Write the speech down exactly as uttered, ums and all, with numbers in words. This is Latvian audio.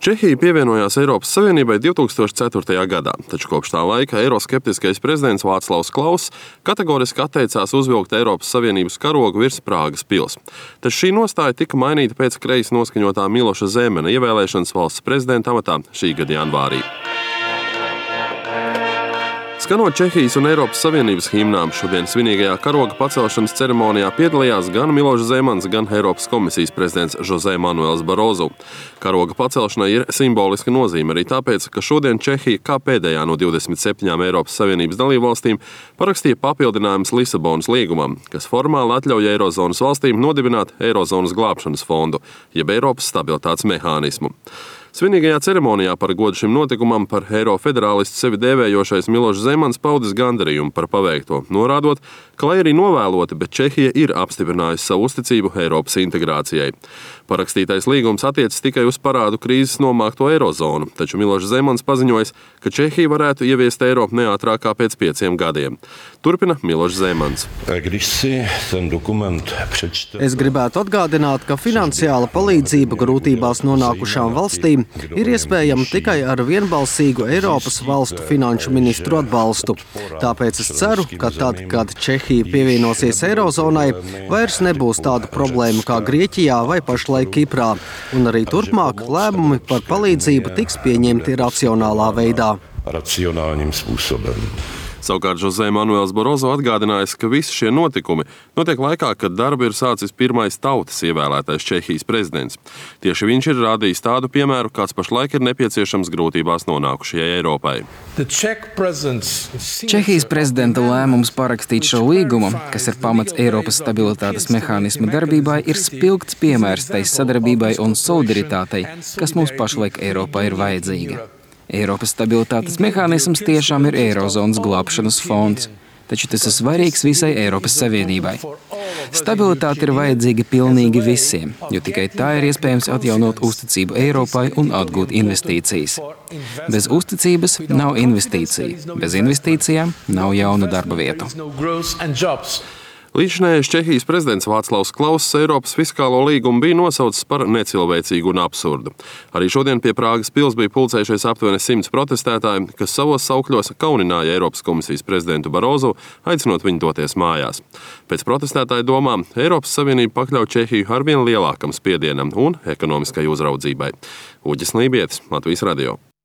Čehija pievienojās Eiropas Savienībai divtūkstoš ceturtajā gadā, taču kopš tā laika eiroskeptiskais prezidents Vāclavs Klauss kategoriski atteicās uzvilkt Eiropas Savienības karogu virs Prāgas pils. Taču šī nostāja tika mainīta pēc kreisi noskaņotā Miloša Zemana ievēlēšanas valsts prezidenta amatā šī gada janvārī. Skanot Čehijas un Eiropas Savienības himnām, šodien svinīgajā karoga pacelšanas ceremonijā piedalījās gan Milošs Zemans, gan Eiropas komisijas prezidents José Manuels Barroso. Karoga pacelšanai ir simboliska nozīme arī tāpēc, ka šodien Čehija, kā pēdējā no divdesmit septiņām Eiropas Savienības dalībvalstīm, parakstīja papildinājumus Lisabonas līgumam, kas formāli atļauj Eirozonas valstīm nodibināt Eirozonas glābšanas fondu, jeb Eiropas stabilitātes mehānismu. Svinīgajā ceremonijā par godu šim notikumam par eirofederālistu sevi dēvējošais Milošs Zemans paudis gandarījumu par paveikto, norādot, ka, lai arī novēloti, bet Čehija ir apstiprinājusi savu uzticību Eiropas integrācijai. Parakstītais līgums attiecas tikai uz parādu krīzes nomākto eirozonu, taču Milošs Zemans paziņojis, ka Čehija varētu ieviest eiro neātrāk kā pēc pieciem gadiem. Turpina Milošs Zemans. Es gribētu atgādināt, ka finansiāla palīdzība grūtībās nonākušām valstīm ir iespējama tikai ar vienbalsīgu Eiropas valstu finanšu ministru atbalstu. Tāpēc es ceru, ka tad, kad Čehija pievienosies Eirozonai, vairs nebūs tādu problēmu kā Grieķijā vai pašlaik Kiprā, un arī turpmāk lēmumi par palīdzību tiks pieņemti racionālā veidā. Savukārt José Manuels Barroso atgādinājis, ka visi šie notikumi notiek laikā, kad darbu ir sācis pirmais tautas ievēlētais Čehijas prezidents. Tieši viņš ir rādījis tādu piemēru, kāds pašlaik ir nepieciešams grūtībās nonākušajai Eiropai. Čehijas prezidenta lēmums parakstīt šo līgumu, kas ir pamats Eiropas stabilitātes mehānisma darbībai, ir spilgts piemērs tai sadarbībai un solidaritātei, kas mums pašlaik Eiropā ir vajadzīga. Eiropas stabilitātes mehānisms tiešām ir Eirozonas glābšanas fonds, taču tas ir svarīgs visai Eiropas Savienībai. Stabilitāte ir vajadzīga pilnīgi visiem, jo tikai tā ir iespējams atjaunot uzticību Eiropai un atgūt investīcijas. Bez uzticības nav investīcija, bez investīcijām nav jaunu darba vietu. Līdzinājais Čehijas prezidents Vāclavs Klauss Eiropas fiskālo līgumu bija nosaucis par necilvēcīgu un absurdu. Arī šodien pie Prāgas pils bija pulcējušies aptuveni simts protestētāji, kas savos saukļos kaunināja Eiropas komisijas prezidentu Barroso, aicinot viņu doties mājās. Pēc protestētāju domām Eiropas Savienība pakļauj Čehiju arvien lielākam spiedienam un ekonomiskai uzraudzībai. Uģis Lībietis, Latvijas radio.